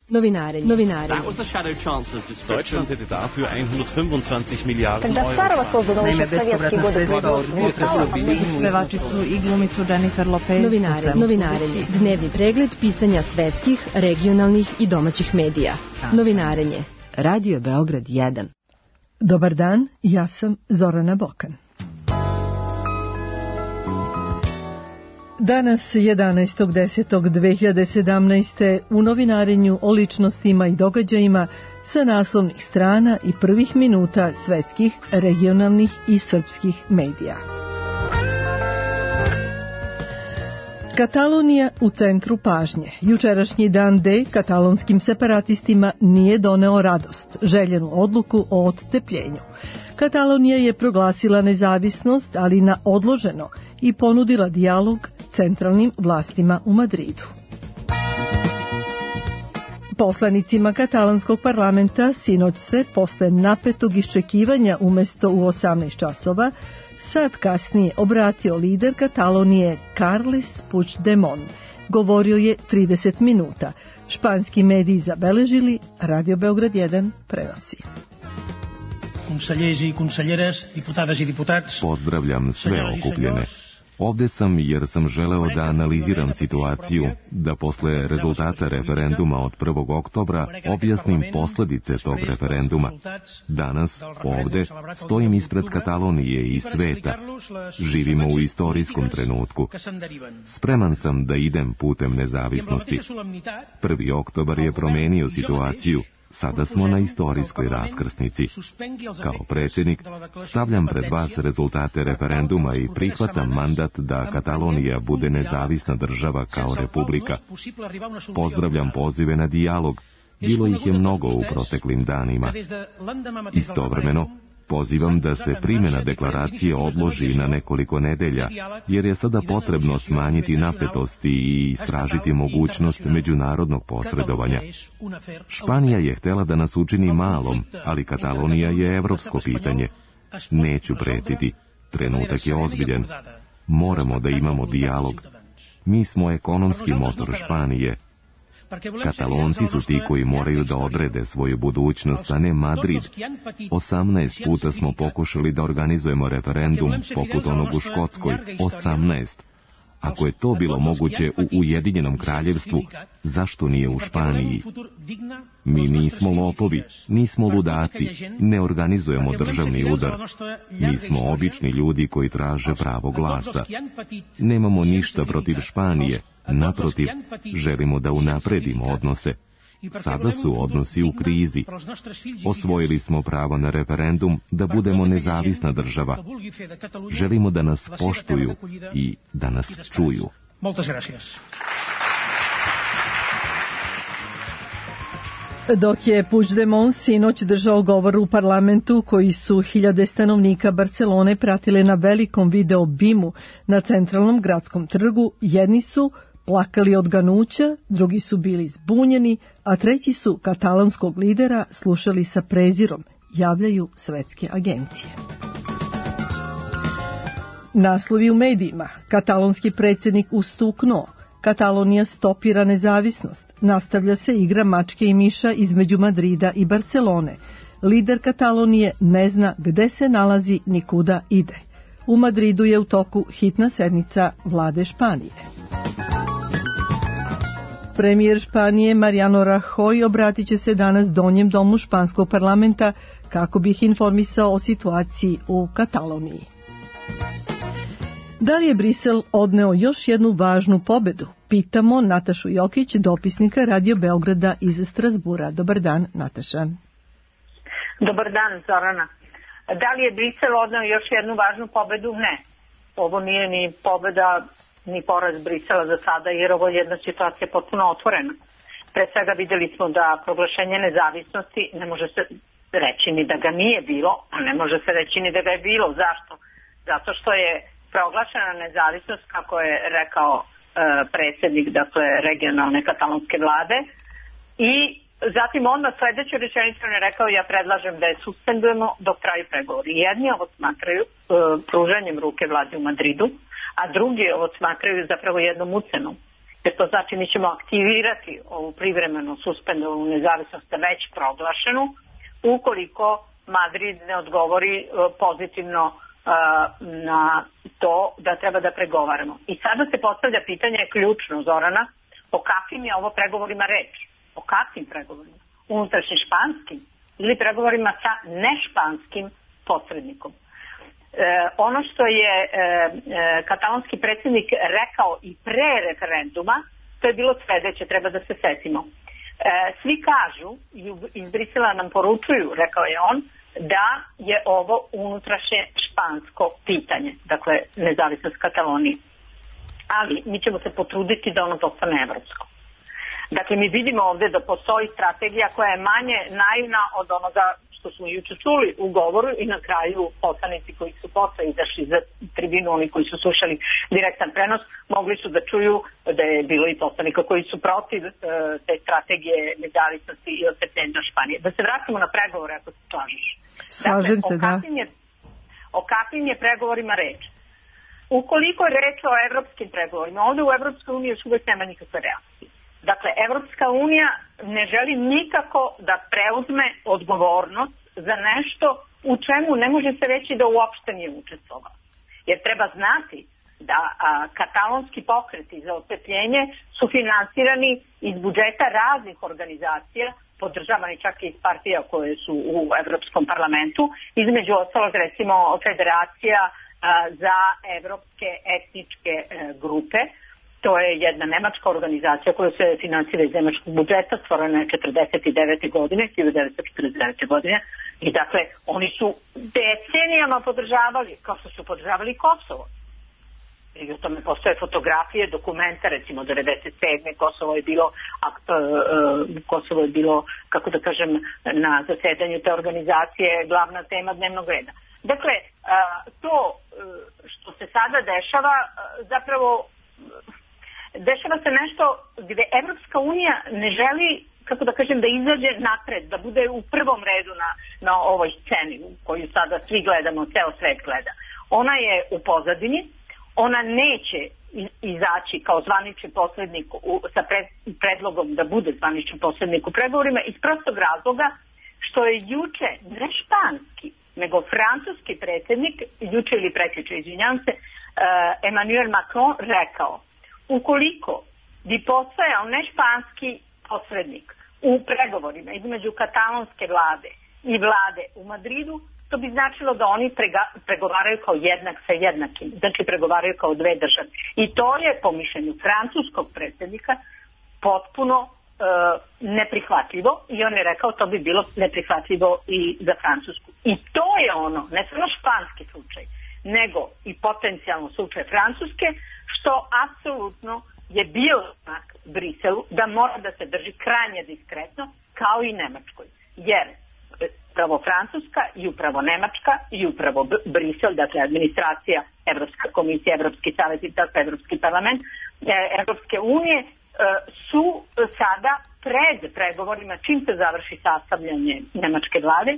Novinarenje. That was the Shadow Chancellor's description. Deutschland hätte dafür 125 Milijarden Когда старого создано уже в советские годы Pevačicu i glumicu Jennifer Lopez. Novinarenje. Dnevni pregled pisanja svetskih, regionalnih i domaćih medija. Novinarenje. Radio Beograd 1. Dobar dan, ja sam Zorana Bokan. Danas, 11.10.2017. u novinarenju o ličnostima i događajima sa naslovnih strana i prvih minuta svetskih, regionalnih i srpskih medija. Katalonija u centru pažnje. Jučerašnji dan D katalonskim separatistima nije doneo radost, željenu odluku o odcepljenju. Katalonija je proglasila nezavisnost, ali na odloženo, i ponudila dijalog centralnim vlastima u Madridu. Poslanicima katalanskog parlamenta sinoć se, posle napetog iščekivanja umesto u 18 časova, sad kasnije obratio lider Katalonije Carles Puigdemont. Govorio je 30 minuta. Španski mediji zabeležili, Radio Beograd 1 prenosi. Consellers i conselleres, diputades i diputats. Pozdravljam sve okupljene. Ovde sam jer sam želeo da analiziram situaciju, da posle rezultata referenduma od 1. oktobra objasnim posledice tog referenduma. Danas, ovde, stojim ispred Katalonije i sveta. Živimo u istorijskom trenutku. Spreman sam da idem putem nezavisnosti. 1. oktobar je promenio situaciju. Sada smo na istorijskoj raskrsnici. Kao predsjednik stavljam pred vas rezultate referenduma i prihvatam mandat da Katalonija bude nezavisna država kao republika. Pozdravljam pozive na dijalog. Bilo ih je mnogo u proteklim danima. Istovremeno, pozivam da se primjena deklaracije odloži na nekoliko nedelja, jer je sada potrebno smanjiti napetosti i istražiti mogućnost međunarodnog posredovanja. Španija je htjela da nas učini malom, ali Katalonija je evropsko pitanje. Neću pretiti. Trenutak je ozbiljan. Moramo da imamo dijalog. Mi smo ekonomski motor Španije. Katalonci su ti koji moraju da odrede svoju budućnost, a ne Madrid. 18 puta smo pokušali da organizujemo referendum poput onog u Škotskoj. 18. Ako je to bilo moguće u Ujedinjenom kraljevstvu, zašto nije u Španiji? Mi nismo lopovi, nismo ludaci, ne organizujemo državni udar. Mi smo obični ljudi koji traže pravo glasa. Nemamo ništa protiv Španije, naprotiv, želimo da unapredimo odnose. Sada su odnosi u krizi. Osvojili smo pravo na referendum da budemo nezavisna država. Želimo da nas poštuju i da nas čuju. Dok je Puigdemont sinoć držao govor u parlamentu koji su hiljade stanovnika Barcelone pratile na velikom video bimu na centralnom gradskom trgu, jedni su plakali od ganuća, drugi su bili zbunjeni, a treći su katalanskog lidera slušali sa prezirom, javljaju svetske agencije. Naslovi u medijima. Katalonski predsjednik ustuknuo. Katalonija stopira nezavisnost. Nastavlja se igra mačke i miša između Madrida i Barcelone. Lider Katalonije ne zna gde se nalazi ni kuda ide. U Madridu je u toku hitna sednica vlade Španije. Premijer Španije Mariano Rajoy obratit će se danas donjem domu španskog parlamenta kako bi ih informisao o situaciji u Kataloniji. Da li je Brisel odneo još jednu važnu pobedu? Pitamo Natašu Jokić, dopisnika Radio Beograda iz Strasbura. Dobar dan, Nataša. Dobar dan, Zorana. Da li je Brisel odneo još jednu važnu pobedu? Ne. Ovo nije ni pobeda ni poraz Brisela za sada, jer ovo je jedna situacija potpuno otvorena. Pre svega vidjeli smo da proglašenje nezavisnosti ne može se reći ni da ga nije bilo, a ne može se reći ni da ga je bilo. Zašto? Zato što je proglašena nezavisnost, kako je rekao predsjednik, dakle, regionalne katalonske vlade, i zatim onda sljedeću rečenicu je rekao: ja predlažem da je suspendujemo dok traju pregovori. Jedni ovo smatraju pružanjem ruke vladi u Madridu, a drugi ovo smatraju zapravo jednom ucenom. jer to znači mi ćemo aktivirati ovu privremeno suspendovanu nezavisnost već proglašenu ukoliko Madrid ne odgovori pozitivno na to da treba da pregovaramo. I sada se postavlja pitanje ključno, Zorana, o kakvim je ovo pregovorima reč? O kakvim pregovorima? Unutrašnjim španskim ili pregovorima sa nešpanskim posrednikom? Ono što je katalonski predsjednik rekao i pre referenduma, to je bilo sledeće, treba da se setimo. Svi kažu, iz Brisela nam poručuju, rekao je on, da je ovo unutrašnje špansko pitanje, dakle nezavisnost Katalonije. Ali mi ćemo se potruditi da ono postane evropsko. Dakle, mi vidimo ovdje da postoji strategija koja je manje naivna od onoga što smo juče čuli u govoru i na kraju poslanici koji su posle izašli za tribinu, oni koji su slušali direktan prenos, mogli su da čuju da je bilo i poslanika koji su protiv te strategije nezavisnosti i osvetljenja Španije. Da se vratimo na pregovore, ako se slažeš. Slažem se, da. O kakvim je pregovorima reč? Ukoliko je reč o evropskim pregovorima, ovdje u Evropskoj uniji još uvijek nema nikakve reakcije. Dakle, Evropska unija ne želi nikako da preuzme odgovornost za nešto u čemu ne može se reći da uopšte nije učestvovao. Jer treba znati da katalonski pokreti za osvetljenje su finansirani iz budžeta raznih organizacija, podržavani čak i iz partija koje su u Evropskom parlamentu, između ostalog recimo Federacija za evropske etničke grupe. To je jedna nemačka organizacija koja se finansira iz nemačkog budžeta, stvorena je 1949. godine. I dakle, oni su decenijama podržavali, kao što su podržavali Kosovo. I o tome postoje fotografije, dokumenta, recimo 1997. Kosovo je bilo, kako da kažem, na zasedanju te organizacije glavna tema dnevnog reda. Dakle, to što se sada dešava, zapravo dešava se nešto gde Evropska unija ne želi, kako da kažem, da izađe napred, da bude u prvom redu na ovoj sceni koju sada svi gledamo, ceo svet gleda. Ona je u pozadini, ona neće izaći kao zvanični posrednik sa predlogom da bude zvanični posrednik u pregovorima iz prostog razloga što je juče ne španski, nego francuski predsjednik, juče ili prekjuče, izvinjam se, Emmanuel Macron rekao: ukoliko bi postojao nešpanski posrednik u pregovorima između katalonske vlade i vlade u Madridu, to bi značilo da oni pregovaraju kao jednak sa jednakim, znači pregovaraju kao dve države. I to je, po mišljenju francuskog predsjednika, potpuno neprihvatljivo, i on je rekao to bi bilo neprihvatljivo i za Francusku. I to je ono, ne samo španski slučaj, nego i potencijalno slučaj Francuske, što apsolutno je bio znak Briselu da mora da se drži krajnje diskretno, kao i Nemačkoj. Jer upravo Francuska i upravo Nemačka i upravo Brisel, dakle administracija, Evropska komisija, Evropski savjet i Evropski parlament, Evropske unije su sada pred pregovorima, čim se završi sastavljanje nemačke vlade,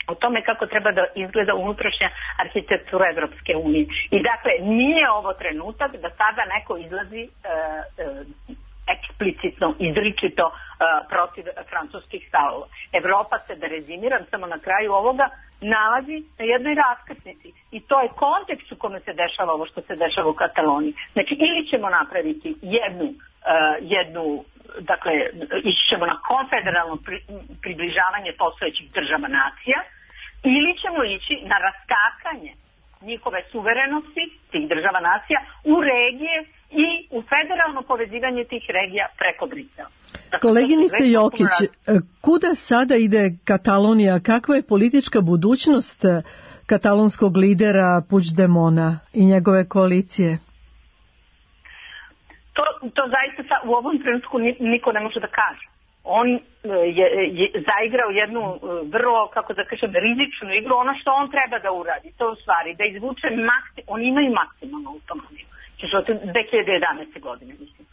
o tome kako treba da izgleda unutrašnja arhitektura Evropske unije. I dakle, nije ovo trenutak da sada neko izlazi eksplicitno, izričito protiv francuskih stavova. Evropa se, da rezimiram samo na kraju ovoga, nalazi na jednoj raskrsnici. I to je kontekst u kome se dešava ovo što se dešava u Kataloniji. Znači, ili ćemo napraviti jednu dakle, ići ćemo na konfederalno približavanje postojećih država nacija, ili ćemo ići na raskakanje njihove suverenosti, tih država nacija, u regije i u federalno povezivanje tih regija preko Brisela. Koleginice Jokić, kuda sada ide Katalonija? Kakva je politička budućnost katalonskog lidera Puigdemona i njegove koalicije? To zaista u ovom trenutku niko ne može da kaže. On je zaigrao jednu vrlo, kako da kažem, rizičnu igru. Ono što on treba da uradi, to u stvari da izvuče oni imaju maksimalnu autonomiju. Znači od 2011. godine, mislim.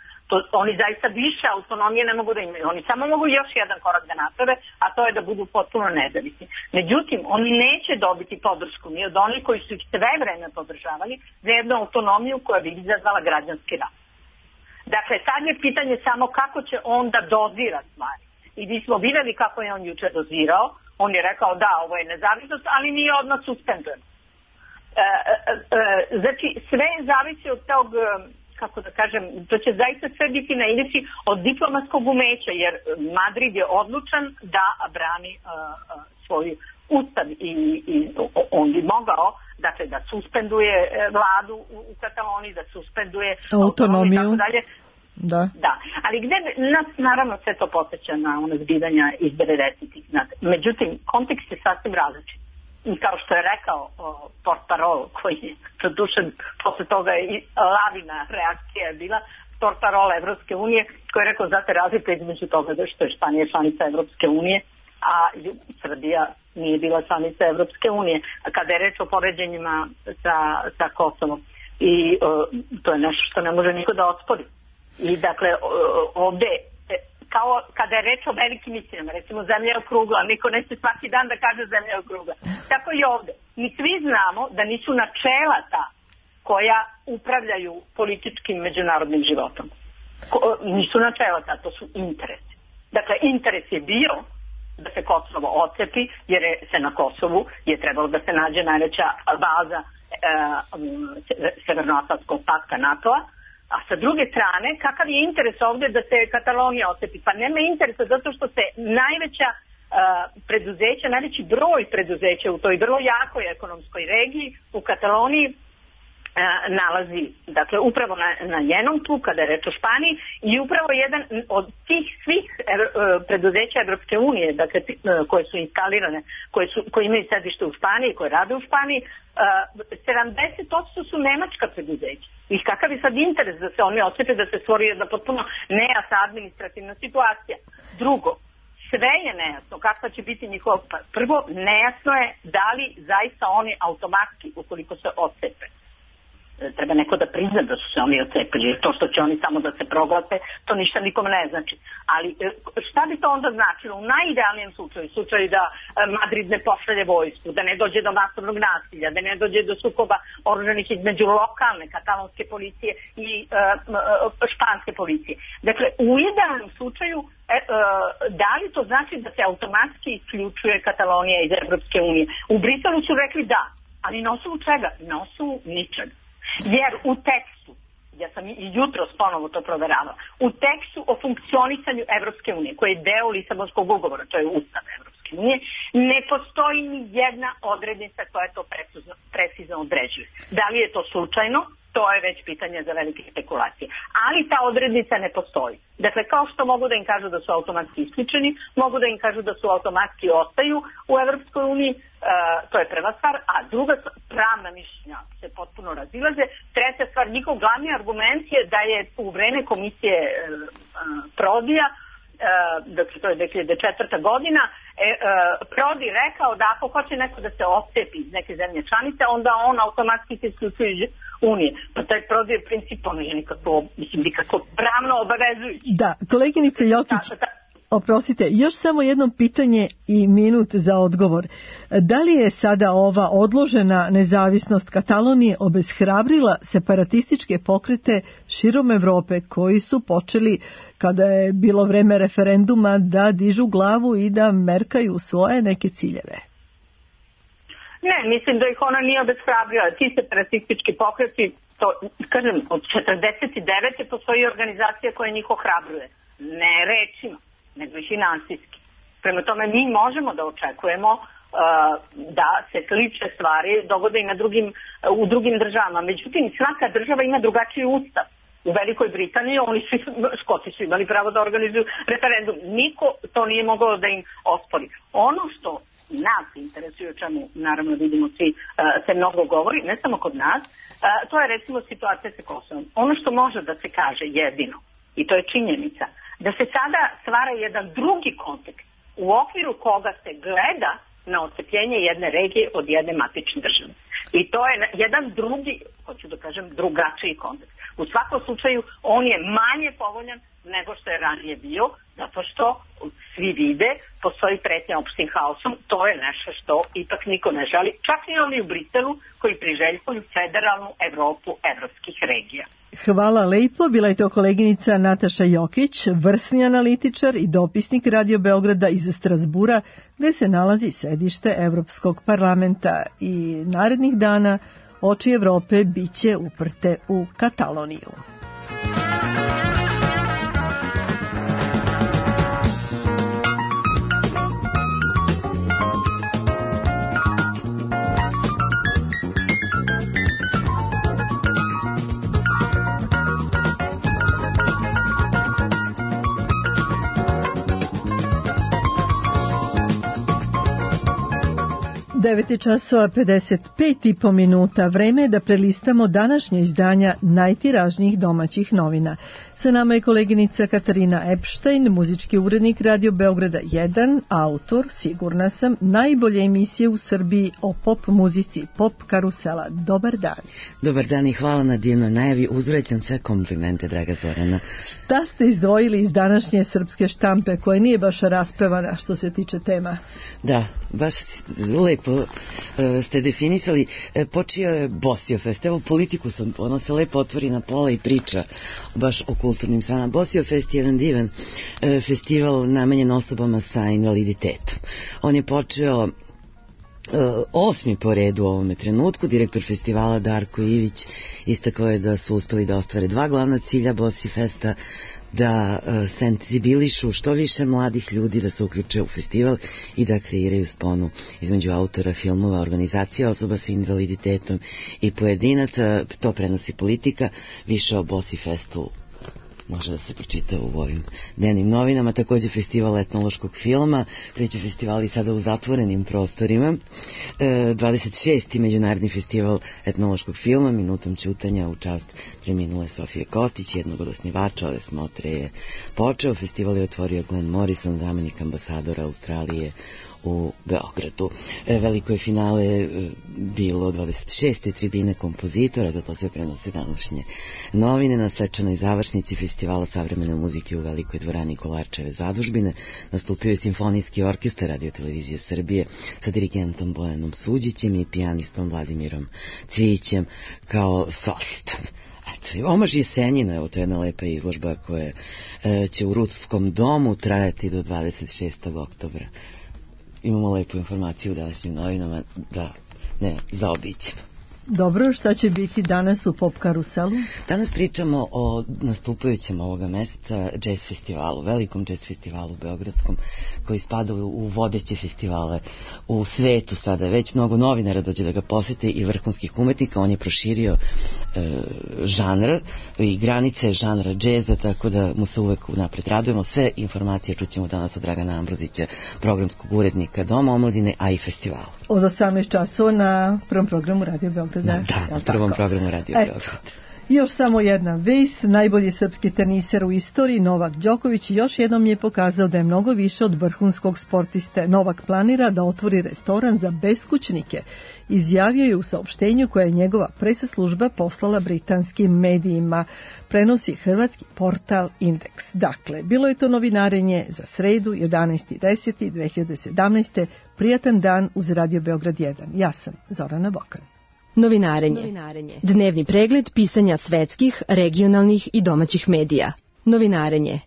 Oni zaista više autonomije ne mogu da imaju. Oni samo mogu još jedan korak da naprave, a to je da budu potpuno nezavisni. Međutim, oni neće dobiti podršku ni od onih koji su ih sve vreme podržavali za jednu autonomiju koja bi izazvala građanski rat. Dakle, sad je pitanje samo kako će on da dozira stvari. I mi smo videli kako je on juče dozirao. On je rekao da, ovo je nezavisnost, ali nije odmah suspendujem. Znači, sve zavisi od tog, kako da kažem, to će zaista sve biti na ivici od diplomatskog umeća, jer Madrid je odlučan da brani svoj ustav i on bi mogao, dakle, da suspenduje vladu u Kataloniji, da suspenduje autonomiju i tako dalje. Da, ali gde nas naravno sve to podsjeća na ono zbivanja iz 90-ih. Međutim, kontekst je sasvim različit. I kao što je rekao portparol, koji je produšen posle toga i lavina reakcija je bila, portparol Evropske unije, koji je rekao znate razlika između toga da što je Španija članica Evropske unije, a Srbija nije bila članica Evropske unije. Kada je reč o poređenjima sa Kosovom. I to je nešto što ne može niko da ospori. I dakle, ovde, kao kada je reč o velikim istinama, recimo zemlja je okrugla, niko neće svaki dan da kaže zemlja je okrugla. Tako i ovde. Mi svi znamo da nisu načela ta koja upravljaju političkim međunarodnim životom. Nisu načela ta, to su interesi. Dakle, interes je bio da se Kosovo ocepi, jer se na Kosovu je trebalo da se nađe najveća baza Severnoatlantskog pakta NATO-a. A sa druge strane, kakav je interes ovde da se Katalonija ocepi? Pa nema interesa zato što se najveća preduzeća, najveći broj preduzeća u toj vrlo jakoj ekonomskoj regiji u Kataloniji nalazi, dakle, upravo na njenom tlu, kada je reč o Španiji, i upravo jedan od tih svih preduzeća Evropske unije, dakle, koje su instalirane, koje imaju sedište u Španiji, koje rade u Španiji, 70% su nemačka preduzeća. I kakav je sad interes da se oni osjete, da se stvori jedna potpuno nejasna administrativna situacija. Drugo, sve je nejasno kakva će biti njihova. Prvo, nejasno je da li zaista oni automatski, ukoliko se osjepe, treba neko da prizna da su se oni ocepili. To što će oni samo da se proglase, to ništa nikome ne znači. Ali šta bi to onda značilo? U najidealnijem slučaju da Madrid ne pošalje vojsku, da ne dođe do masovnog nasilja, da ne dođe do sukoba oružanih između lokalne katalonske policije i španske policije. Dakle, u idealnom slučaju da li to znači da se automatski isključuje Katalonija iz Evropske unije? U Briselu su rekli da, ali na osnovu čega? Na osnovu ničega. Jer u tekstu, ja sam i jutros ponovo to proveravala, u tekstu o funkcionisanju Evropske unije, koji je deo Lisabonskog ugovora, to je Ustav Evropske unije, ne postoji ni jedna odrednica koja to precizno određuje. Da li je to slučajno? To je već pitanje za velike spekulacije. Ali ta odrednica ne postoji. Dakle, kao što mogu da im kažu da su automatski isključeni, mogu da im kažu da su automatski ostaju u Evropskoj uniji, to je prva stvar, a druga pravna mišljenja se potpuno razilaze. Treća stvar, njihov glavni argument je da je u vreme komisije Prodija, dakle to je 2004. godina, Prodi rekao da ako hoće neko da se odcepi iz neke zemlje članice, onda on automatski se isključuje iz Unije. Pa taj Prodi je princip, on je nikako pravno obavezujući. Da, koleginice Jokić, oprostite, još samo jedno pitanje i minut za odgovor. Da li je sada ova odložena nezavisnost Katalonije obeshrabrila separatističke pokrete širom Evrope koji su počeli, kada je bilo vreme referenduma, da dižu glavu i da merkaju svoje neke ciljeve? Ne, mislim da ih ona nije obeshrabrila. Ti separatistički pokreti, to, kažem, od 49. postoji organizacija koja njih ohrabruje. Ne rečima, nego i finansijski. Prema tome mi možemo da očekujemo da se slične stvari dogode i u drugim državama. Međutim, svaka država ima drugačiji ustav. U Velikoj Britaniji Škoti su imali pravo da organizuju referendum. Niko to nije mogao da im ospori. Ono što nas interesuje, o čemu naravno vidimo svi se mnogo govori, ne samo kod nas, to je recimo situacija sa Kosovom. Ono što može da se kaže jedino, i to je činjenica, da se sada stvara jedan drugi kontekst u okviru koga se gleda na odcepljenje jedne regije od jedne matične države. I to je jedan drugi, hoću da kažem, drugačiji kontekst. U svakom slučaju on je manje povoljan nego što je ranije bio, zato što svi vide, postoji pretnja opštim haosom, to je nešto što ipak niko ne želi, čak i oni u Briselu koji priželjkuju federalnu Evropu evropskih regija. Hvala lepo, bila je to koleginica Nataša Jokić, vrsni analitičar i dopisnik Radio Beograda iz Strasbura, gde se nalazi sedište Evropskog parlamenta, i narednih dana oči Evrope biće uprte u Kataloniju. časova 55,5 minuta. Vreme je da prelistamo današnje izdanja najtiražnijih domaćih novina. Sa nama je koleginica Katarina Epštajn, muzički urednik Radio Beograda 1, autor, sigurna sam, najbolje emisije u Srbiji o pop muzici, Pop karusela. Dobar dan. Dobar dan i hvala na divnoj najavi. Uzvraćam sve komplimente, draga Zorana. Šta ste izdvojili iz današnje srpske štampe, koja nije baš raspevana što se tiče tema? Da, baš lepo ste definisali. Počeo je Bosiofest. Evo, Politiku sam, ono se lepo otvori na pola i priča baš o kulturnim stranama. Bosiofest je jedan divan festival namenjen osobama sa invaliditetom. On je počeo 8. po redu u ovome trenutku. Direktor festivala Darko Ivić istakao je da su uspeli da ostvare 2 glavna cilja Bosifesta, da senzibilišu što više mladih ljudi da se uključe u festival i da kreiraju sponu između autora filmova, organizacija osoba sa invaliditetom i pojedinaca. To prenosi Politika. Više o Bosifestu može da se pročita u ovim dnevnim novinama. Također festival etnološkog filma, treći festival i sada u zatvorenim prostorima. 26. međunarodni festival etnološkog filma, minutom ćutanja u čast preminule Sofije Kostić, jednog od osnivača ove smotre je počeo. Festival je otvorio Glenn Morrison, zamenik ambasadora Australije u Beogradu. Veliko je finale bilo 26. tribine kompozitora, da to sve prenose današnje novine. Na svečanoj završnici festivala savremene muzike u Velikoj dvorani Kolarčeve zadužbine nastupio je Simfonijski orkestar Radio Televizije Srbije sa dirigentom Bojanom Suđićem i pijanistom Vladimirom Cvijićem kao solistom. Omaž Jesenjina, evo, to je jedna lepa izložba koja će u Rudskom domu trajati do 26. oktobra. Imamo lepu informaciju u današnjim novinama da ne zaobićemo. Dobro, šta će biti danas u Pop karuselu? Danas pričamo o nastupajućem ovoga meseca jazz festivalu, velikom jazz festivalu beogradskom, koji spada u vodeće festivale u svetu. Sada već mnogo novinara dođe da ga posete i vrhunskih umetnika. On je proširio žanr i granice žanra džeza, tako da mu se uvek napred radujemo. Sve informacije čućemo danas od Dragana Ambrozića, programskog urednika Doma omladine, a i festivala. Od 18 časova na prvom programu Radio Beograd. Da, na prvom programu Radio Beograd. Još samo jedna vest, najbolji srpski teniser u istoriji Novak Đoković još jednom je pokazao da je mnogo više od vrhunskog sportiste. Novak planira da otvori restoran za beskućnike. Izjavio je u saopštenju koje je njegova presaslužba poslala britanskim medijima. Prenosi hrvatski portal Indeks. Dakle, bilo je to novinarenje za sredu 11.10.2017. Prijatan dan uz Radio Beograd 1. Ja sam Zorana Bokan. Novinarenje. Dnevni pregled pisanja svetskih, regionalnih i domaćih medija. Novinarenje.